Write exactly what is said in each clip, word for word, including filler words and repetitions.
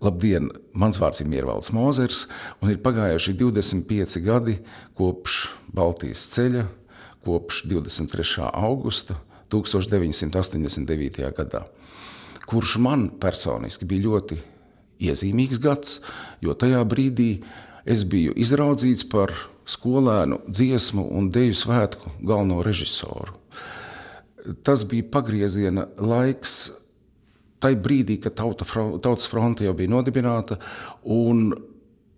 Labdien, mans vārds ir Miervalds Mozers, un ir pagājuši divdesmit pieci gadi kopš Baltijas ceļa, kopš divdesmit trešā augusta tūkstoš deviņsimt astoņdesmit devītajā gadā, kurš man personiski bija ļoti iezīmīgs gads, jo tajā brīdī es biju izraudzīts par skolēnu dziesmu un deju svētku galveno režisoru. Tas bija pagrieziena laiks tai brīdī, kad tauta, Tautas fronte jau bija nodibināta, un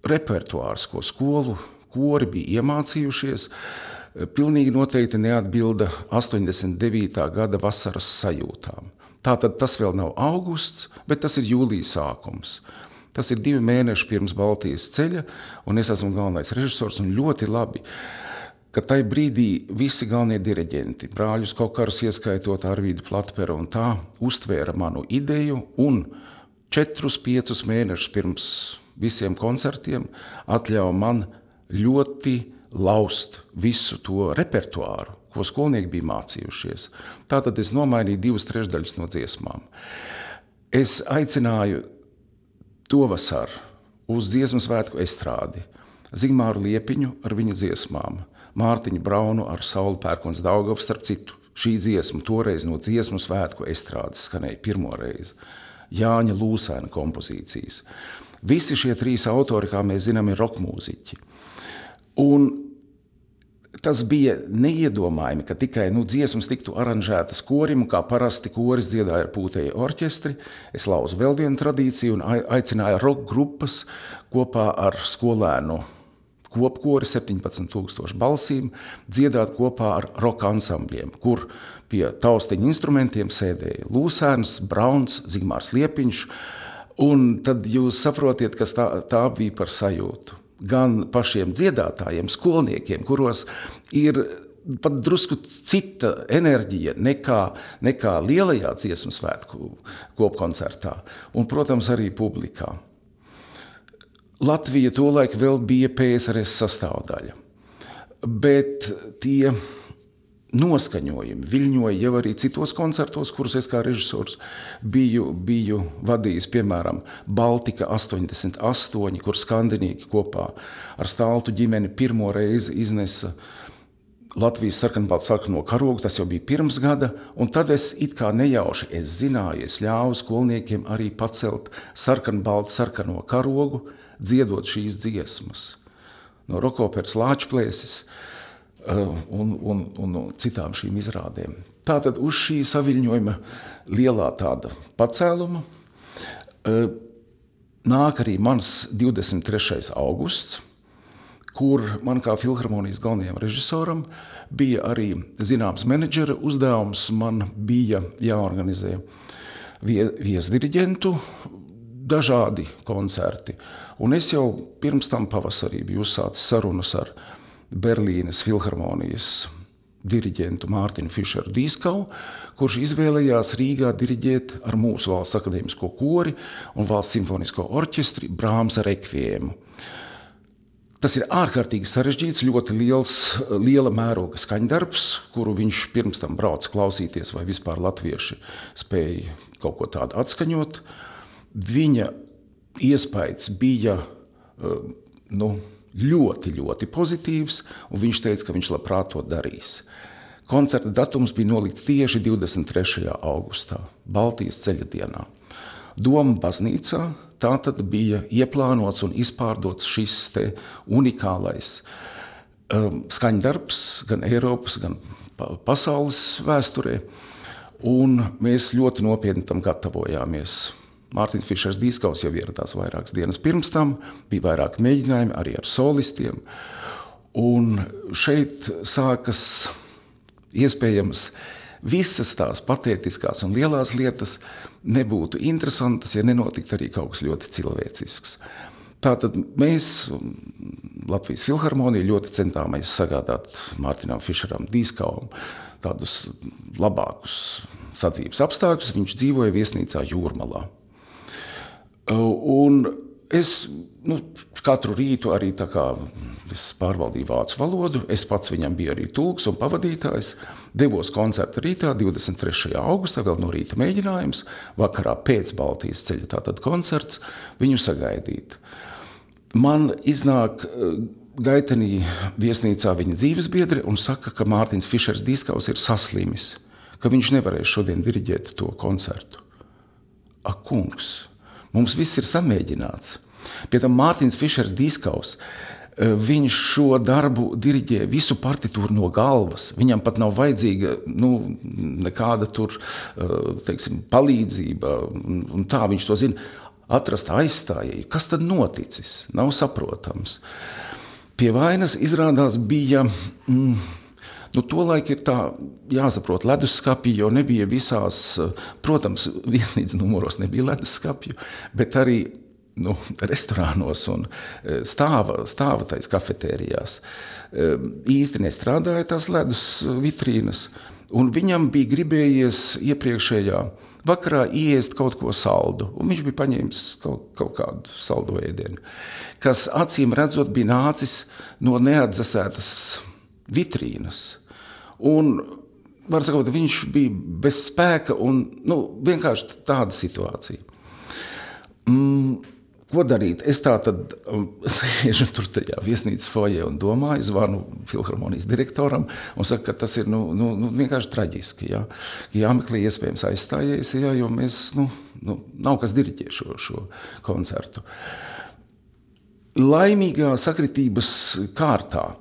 repertuārs, ko skolu kori bija iemācījušies, pilnīgi noteikti neatbilda astoņdesmit devītā gada vasaras sajūtām. Tātad tas vēl nav augusts, bet tas ir jūlijas sākums. Tas ir divi mēneši pirms Baltijas ceļa, un es esmu galvenais režisors, un ļoti labi, ka tai brīdī visi galvenie diriģenti, brāļus Kokarus ieskaitot Arvīdu Platperu un tā, uztvēra manu ideju un četrus, piecus mēnešus pirms visiem koncertiem atļauja man ļoti laust visu to repertuāru, ko skolnieki bija mācījušies. Tātad es nomainīju divas trešdaļas no dziesmām. Es aicināju to vasaru uz dziesmu svētku estrādi Zigmāru Liepiņu ar viņa dziesmām, Mārtiņu Braunu ar Sauli Pērkons Daugavu, starp citu. Šī dziesma toreiz no dziesmu svētku estrādes skanēja pirmo reizi. Jāņa Lūsēna kompozīcijas. Visi šie trīs autori, kā mēs zinām, ir rokmūziķi. Un tas bija neiedomājami, ka tikai nu, dziesmas tiktu aranžētas korim, kā parasti koris dziedāja ar pūtēju orķestri. Es lauzu vēl vienu tradīciju un aicināju rock grupas kopā ar skolēnu kopkori septiņpadsmit tūkstoši balsīm dziedāt kopā ar roka ansambļiem, kur pie taustiņu instrumentiem sēdēja Lūsēns, Brauns, Zigmārs Liepiņš, un tad jūs saprotiet, kas tā, tā bija par sajūtu. Gan pašiem dziedātājiem, skolniekiem, kuros ir pat drusku cita enerģija nekā, nekā lielajā dziesmu svētku kopkoncertā, un, protams, arī publikā. Latvija tolaik vēl bija P S R S sastāvdaļa, bet tie noskaņojumi viļņoja jau arī citos koncertos, kurus es kā režisors biju, biju vadījis, piemēram, Baltika astoņdesmit astoņi, kur skandinīgi kopā ar Staltu ģimeni pirmo reizi iznesa Latvijas sarkanbaltu sarkano karogu, tas jau bija pirms gada, un tad es it kā nejauši, es zināju, es ļāvu skolniekiem arī pacelt sarkanbaltu sarkano karogu, dziedot šīs dziesmas no rokoperas Lāčplēsis uh, un, un, un no citām šīm izrādēm. Tātad uz šī saviļņojuma lielā tāda pacēluma uh, nāk arī mans divdesmit trešais augusts, kur man kā filharmonijas galvenajam režisoram bija arī zināms menedžera uzdevums. Man bija jāorganizē vie, viesdiriģentu dažādi koncerti. Un es jau pirms tam pavasarī biju uzsācis sarunas ar Berlīnes filharmonijas diriģentu Mārtiņu Fišeru Dīskavu, kurš izvēlējās Rīgā diriģēt ar mūsu valsts akadēmisko kori un valsts simfonisko orķestri Brāmsa rekviēmu. Tas ir ārkārtīgi sarežģīts, ļoti liels, liela mēroga skaņdarbs, kuru viņš pirms tam brauca klausīties, vai vispār latvieši spēja kaut ko tādu atskaņot. Viņa iespējas bija nu, ļoti, ļoti pozitīvs, un viņš teica, ka viņš labprāt to darīs. Koncerta datums bija nolikts tieši divdesmit trešajā augustā, Baltijas ceļa dienā. Doma baznīcā tātad bija ieplānots un izpārdots šis te unikālais um, skaņdarbs gan Eiropas, gan pasaules vēsturē, un mēs ļoti nopietni tam gatavojāmies. Mārtiņš Fišers Dīskavs jau ieradās vairākas dienas pirms tam, bija vairāk mēģinājumi arī ar solistiem, un šeit sākas iespējams visas tās patētiskās un lielās lietas nebūtu interesantas, ja nenotiktu arī kaut kas ļoti cilvēcisks. Tātad mēs, Latvijas filharmonija, ļoti centāmies sagādāt Mārtiņam Fišeram Dīskavam tādus labākus sadzīves apstākļus. Viņš dzīvoja viesnīcā Jūrmalā. Un es nu, katru rītu arī tā kā es pārvaldīju vācu valodu, es pats viņam biju arī tulks un pavadītājs, Devos koncerta rītā, divdesmit trešajā augustā, vēl no rīta mēģinājums, vakarā pēc Baltijas ceļa tātad koncerts, viņu sagaidīt. Man iznāk gaitenī viesnīcā viņa dzīvesbiedri un saka, ka Mārtiņš Fišers Dīskaus ir saslimis, ka viņš nevarēs šodien diriģēt to koncertu. Ak, kungs, mums viss ir samēģināts. Pie tam Mārtiņš Fišers Dīskaus, viņš šo darbu diriģē visu partitūru no galvas. Viņam pat nav vajadzīga nu, nekāda tur, teiksim, palīdzība. Un tā viņš to zina. Atrast aizstājēju. Kas tad noticis? Nav saprotams. Pie vainas izrādās bija, mm, nu tolaik ir tā jāsaprot leduskapji, jo nebija visās, protams, viesnīcas numuros nebija leduskapju, bet arī nu, restorānos un stāva, stāva tais kafetērijās. Īsti nestrādāja tās ledus vitrīnas, un viņam bija gribējies iepriekšējā vakarā iest kaut ko saldu, un viņš bija paņēmis kaut, kaut kādu saldu ēdienu, kas acīm redzot bija nācis no neatdzesētas vitrīnas. Un, var sakot, viņš bija bez spēka un nu, vienkārši tāda situācija. Mm, Ko darīt? Es tā tad um, sēžu tur tajā viesnīcas foajē un domāju, zvanu filharmonijas direktoram un saku, ka tas ir nu, nu, nu, vienkārši traģiski. Ja? Jāmeklē iespējams aizstājējis, ja, jo mēs, nu, nu, nav kas diriģē šo, šo koncertu. Laimīgā sakritības kārtā,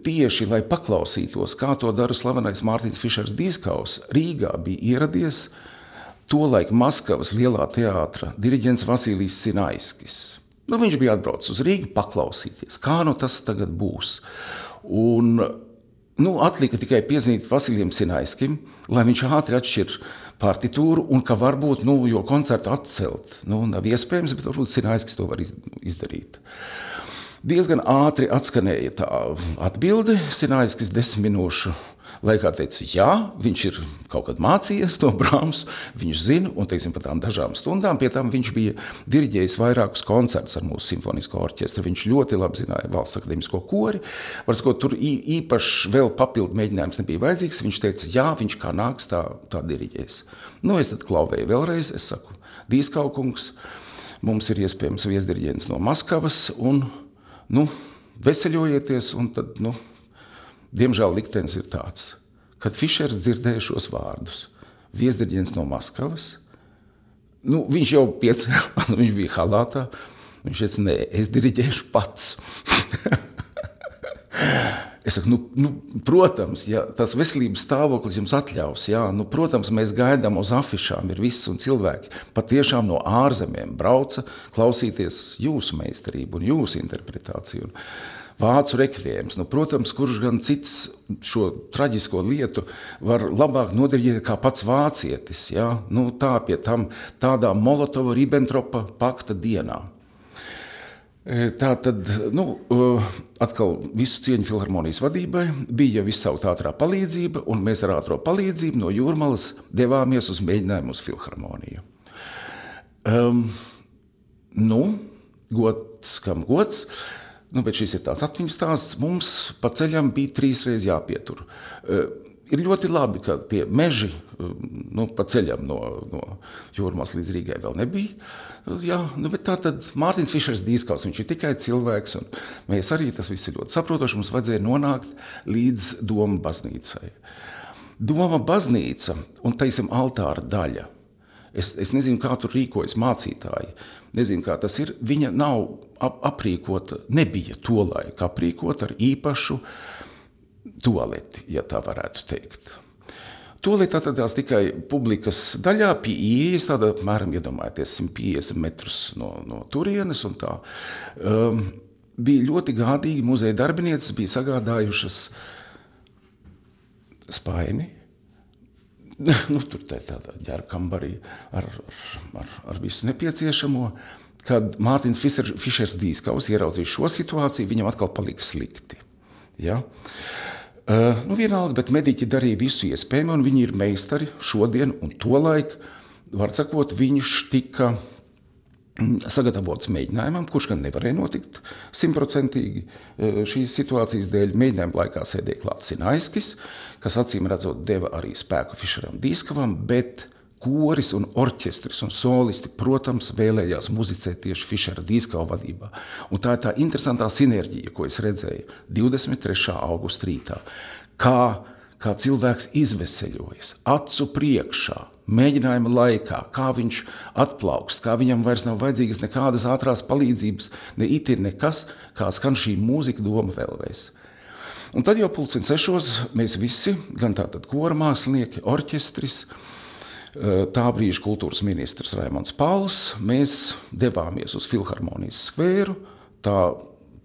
tieši lai paklausītos, kā to dara slavenais Mārtiņš Fišers Dīskaus, Rīgā bija ieradies tolaik Maskavas lielā teātra diriģents Vasilijs Sinaiskis. Nu, viņš bija atbraucis uz Rīgu paklausīties, kā nu tas tagad būs. Un nu, atlika tikai piezvanīt Vasilijam Sinaiskim, lai viņš ātri atšķir partitūru un ka varbūt, nu, jo koncertu atcelt. Nu, nav iespējams, bet varbūt Sinaiskis to var izdarīt. Diezgan ātri atskanēja tā atbilde, Sinaiskis desmit minūšu laikā teica, jā, viņš ir kaut kad mācījies no Brahmsu, viņš zina, un, teiksim, par tām dažām stundām, pie tam viņš bija diriģējis vairākus koncertus ar mūsu simfonisko orķestru, viņš ļoti labi zināja Valsts akadēmisko kori, var sakot, tur īpaši vēl papildu mēģinājums nebija vajadzīgs, viņš teica, jā, viņš kā nāks, tā, tā diriģēs. Nu, es tad klauvēju vēlreiz, es saku, Dīskau kungs, mums ir iespējams viesdiriģents no Maskavas, un, nu, veseļojieties, un tad, nu, diemžēl liktenis ir tāds, kad Fišers dzirdēja šos vārdus. Viesdiriģents no Maskavas, nu, viņš jau piecēlās, viņš bija halātā, viņš teica, nē, es diriģēšu pats. Es saku, nu, nu, protams, ja tas veselības stāvoklis jums atļaus, jā, nu, protams, mēs gaidām uz afišām, ir viss un cilvēki patiešām no ārzemēm brauca klausīties jūsu meistarību un jūsu interpretāciju. Un vācu rekviējums, nu, protams, kurš gan cits šo traģisko lietu var labāk nodiriģēt kā pats vācietis, jā, nu, tā pie tam tādā Molotova-Ribbentropa pakta dienā. Tā tad, nu, atkal visu cieņu filharmonijas vadībai, bija visu ātrā palīdzība, un mēs ar ātro palīdzību no Jūrmalas devāmies uz mēģinājumu uz filharmoniju. Um, nu, gods kam gods, nu, bet šis ir tāds atmiņas stāsts, mums pa ceļam bija trīs reiz jāpietur. Uh, ir ļoti labi, ka tie meži, nu, pa ceļam no, no Jūrmalas līdz Rīgai vēl nebija. Jā, nu, bet tā tad Mārtiņš Fišers Dīskaus, viņš ir tikai cilvēks, un mēs arī tas viss ir ļoti saprotoši, mums vajadzēja nonākt līdz Doma baznīcai. Doma baznīca un, teiksim, altāra daļa. Es, es nezinu, kā tur rīkojas mācītāji, nezinu, kā tas ir. Viņa nav ap, aprīkota, nebija tolaik aprīkota ar īpašu tualeti, ja tā varētu teikt. Tualeti atradās tikai publikas daļā pie ieejas, tāda apmēram iedomājieties simt piecdesmit metrus no, no turienes un tā. Um, bija ļoti gādīgi muzeja darbinieces, bija sagādājušas spaini, nu, tur tā tādā ģērbkambarī ar, ar, ar visu nepieciešamo. Kad Mārtiņš Fišers Dīskaus ieraudzīja šo situāciju, viņam atkal palika slikti. Ja? Uh, nu vienalga, bet mediķi darīja visu iespējamo, un viņi ir meistari šodien, un tolaik, var sakot, viņš tika sagatavots mēģinājumam, kurš gan nevarēja notikt simtprocentīgi šīs situācijas dēļ. Mēģinājuma laikā sēdēja klāt Sinaiskis, kas acīm redzot deva arī spēku Fišeram Dīskavam, bet koris un orķestris un solisti, protams, vēlējās muzicēt tieši Fišera Dīskava vadībā. Un tā ir tā interesantā sinerģija, ko es redzēju divdesmit trešā augusta rītā. Kā, kā cilvēks izveseļojas, acu priekšā, mēģinājuma laikā, kā viņš atplaukst, kā viņam vairs nav vajadzīgas nekādas ātrās palīdzības, ne iti nekas, kā skan šī mūzika doma vēlreiz. Un tad jau pulksten sešos mēs visi, gan tātad kora mākslinieki, orķestris, tā brīža kultūras ministrs Raimonds Pauls, mēs devāmies uz Filharmonijas skvēru, tā,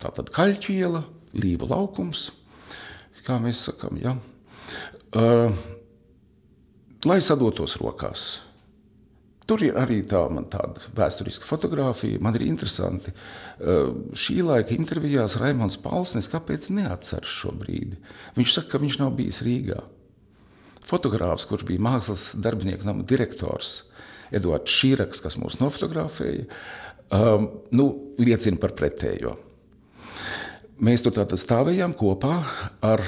tā tad Kaļķiela, Līva laukums, kā mēs sakam, ja, uh, lai sadotos rokās. Tur ir arī tā, man tāda vēsturiska fotogrāfija, man ir interesanti. Uh, šī laika intervijās Raimonds Pauls nes kāpēc neatceras šo brīdi. Viņš saka, ka viņš nav bijis Rīgā. Fotogrāfs, kurš bija mākslas darbinieku nama direktors, Eduards Šīraks, kas mūs nofotografēja, um, nu, liecina par pretējo. Mēs tur tātad stāvējām kopā ar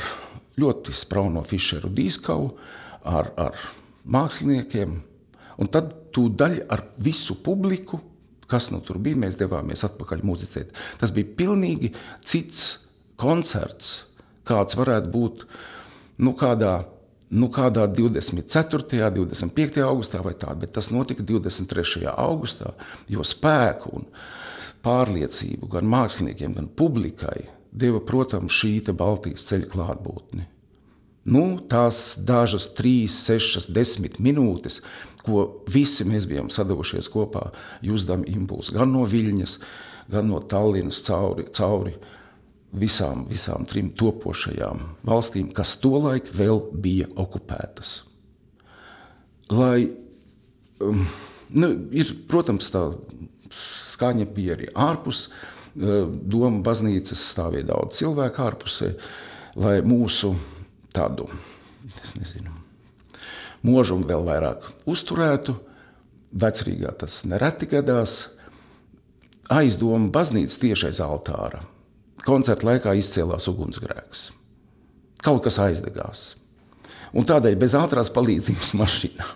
ļoti sprauno Fišeru Dīskavu, ar, ar māksliniekiem, un tad tūdaļ ar visu publiku, kas nu tur bija, mēs devāmies atpakaļ muzicēt. Tas bija pilnīgi cits koncerts, kāds varētu būt, nu, kādā Nu, kādā divdesmit ceturtajā, divdesmit piektajā augustā vai tā, bet tas notika divdesmit trešajā augustā, jo spēku un pārliecību gan māksliniekiem, gan publikai deva, protams, šī te Baltijas ceļa klātbūtni. Nu, tās dažas trīs, sešas, desmit minūtes, ko visi mēs bijām sadavušies kopā, jusdam impulsu gan no Viļņas, gan no Tallinas cauri, cauri Visām, visām trim topošajām valstīm, kas tolaik vēl bija okupētas. Lai, um, nu, ir, protams, tā skaņa bija arī ārpus, uh, Doma baznīcas stāvēja daudz cilvēku ārpusē, lai mūsu tādu, es nezinu, možumu vēl vairāk uzturētu. Vecrīgā tas nereti gadās. Aiz Doma baznīcas tieši aiz altāra. Koncerta laikā izcēlās ugunsgrēks. Kaut kas aizdegās. Un tādēļ bez ātrās palīdzības mašīnā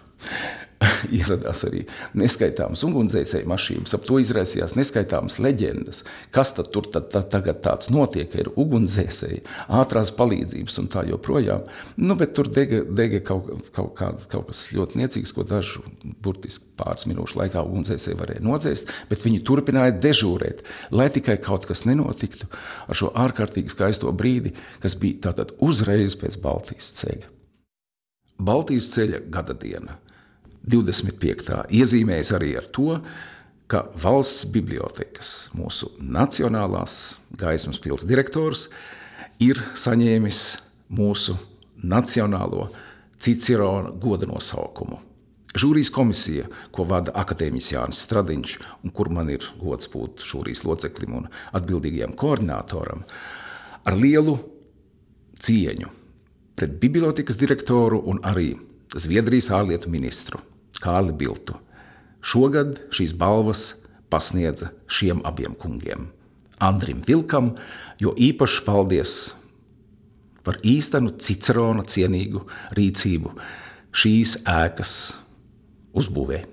ieradās arī neskaitāmas ugunsdzēsēju mašīnas. Ap to izraisījās neskaitāmas leģendas. Kas tad tur tad, tad, tagad tāds notiek, ka ir ugunsdzēsēji, ātrās palīdzības un tā joprojām. Nu, bet tur dega, dega kaut, kaut, kā, kaut kas ļoti niecīgs, ko dažu burtiski pāris minūšu laikā ugunsdzēsēji varēja nodzēst, bet viņi turpināja dežūrēt, lai tikai kaut kas nenotiktu ar šo ārkārtīgi skaisto brīdi, kas bija tātad uzreiz pēc Baltijas ceļa. Baltijas ceļa gada diena. divdesmit piektā iezīmējas arī ar to, ka valsts bibliotekas, mūsu nacionālās Gaismas pils direktors, ir saņēmis mūsu nacionālo Cicerona goda nosaukumu. Žūrijas komisija, ko vada akadēmiķis Jānis Stradiņš, un kur man ir gods būt žūrijas loceklim un atbildīgajam koordinātoram, ar lielu cieņu pret bibliotekas direktoru un arī Zviedrijas ārlietu ministru Kārli Biltu. Šogad šīs balvas pasniedza šiem abiem kungiem. Andrim Vilkam, jo īpaši paldies par īstenu Cicerona cienīgu rīcību šīs ēkas uzbūvē.